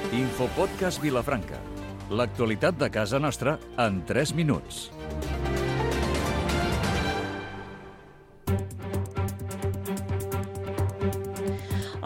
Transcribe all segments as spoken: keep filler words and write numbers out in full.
Infopodcast Vilafranca. L'actualitat de casa nostra en tres minuts.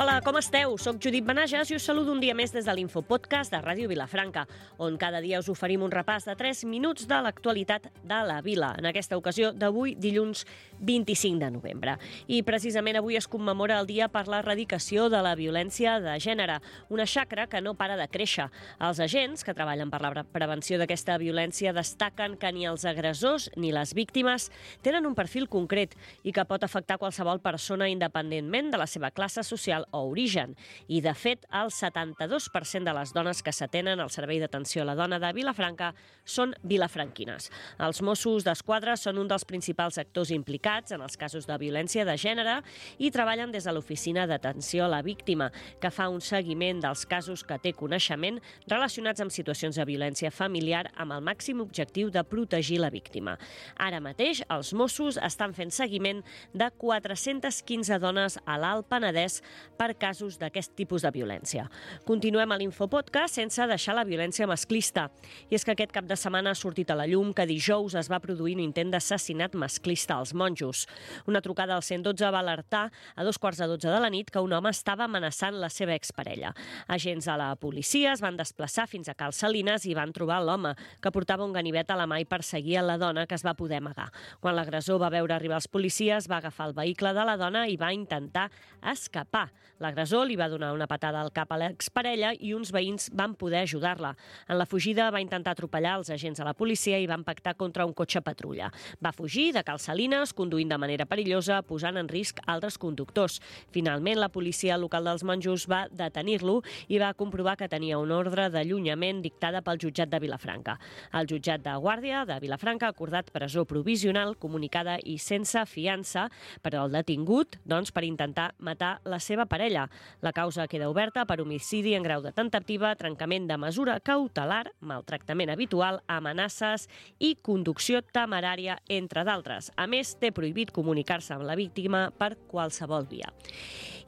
Hola, com esteu? Soc Judit Benages i us saludo un dia més des de l'Infopodcast de Ràdio Vilafranca, on cada dia us oferim un repàs de tres minuts de l'actualitat de la vila, en aquesta ocasió d'avui, dilluns vint-i-cinc de novembre. I precisament avui es commemora el dia per l'erradicació de la violència de gènere, una xacra que no para de créixer. Els agents que treballen per la prevenció d'aquesta violència destaquen que ni els agressors ni les víctimes tenen un perfil concret i que pot afectar qualsevol persona independentment de la seva classe social o origen. I, de fet, el setanta-dos per cent de les dones que s'atenen al Servei d'Atenció a la Dona de Vilafranca són vilafranquines. Els Mossos d'Esquadra són un dels principals actors implicats en els casos de violència de gènere i treballen des de l'Oficina d'Atenció a la Víctima, que fa un seguiment dels casos que té coneixement relacionats amb situacions de violència familiar amb el màxim objectiu de protegir la víctima. Ara mateix, els Mossos estan fent seguiment de quatre-centes quinze dones a l'Alt Penedès per casos d'aquest tipus de violència. Continuem a l'Infopodcast sense deixar la violència masclista. I és que aquest cap de setmana ha sortit a la llum que dijous es va produir un intent d'assassinat masclista als Monjos. Una trucada al cent dotze va alertar a dos quarts de dotze de la nit que un home estava amenaçant la seva exparella. Agents de la policia es van desplaçar fins a Cal Salines i van trobar l'home, que portava un ganivet a la mà i perseguia la dona, que es va poder amagar. Quan l'agressor va veure arribar els policies, va agafar el vehicle de la dona i va intentar escapar. L'agressor li va donar una patada al cap a l'exparella i uns veïns van poder ajudar-la. En la fugida va intentar atropellar els agents de la policia i va impactar contra un cotxe patrulla. Va fugir de Cal Salines, conduint de manera perillosa, posant en risc altres conductors. Finalment, la policia local dels Monjos va detenir-lo i va comprovar que tenia una ordre d'allunyament dictada pel jutjat de Vilafranca. El jutjat de Guàrdia de Vilafranca ha acordat presó provisional, comunicada i sense fiança per al detingut, doncs, per intentar matar la seva parella. La causa queda oberta per homicidi en grau de temptativa, trencament de mesura cautelar, maltractament habitual, amenaces i conducció temerària, entre d'altres. A més, té prohibit comunicar-se amb la víctima per qualsevol via.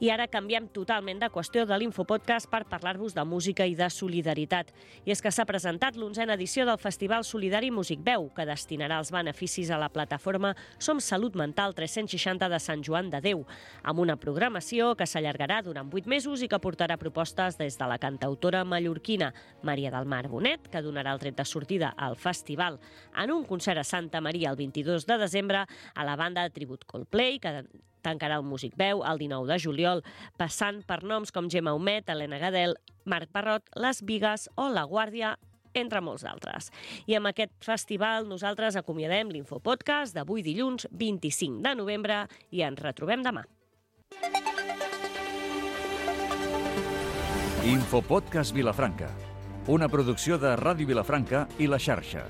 I ara canviem totalment de qüestió de l'Infopodcast per parlar-vos de música i de solidaritat. I és que s'ha presentat l'onzena edició del Festival Solidari Musicveu, que destinarà els beneficis a la plataforma Som Salut Mental tres-cents seixanta de Sant Joan de Déu, amb una programació que s'allargarà durant vuit mesos i que portarà propostes des de la cantautora mallorquina Maria del Mar Bonet, que donarà el tret de sortida al festival en un concert a Santa Maria el vint-i-dos de desembre, a la banda de tribut Coldplay, que tancarà el Musicveu el dinou de juliol, passant per noms com Gemma Humet, Helena Gadel, Marc Parrot, Les Bigues o La Guàrdia, entre molts d'altres. I amb aquest festival nosaltres acomiadem l'Infopodcast d'avui dilluns vint-i-cinc de novembre i ens retrobem demà. Infopodcast Vilafranca, una producció de Ràdio Vilafranca i La Xarxa.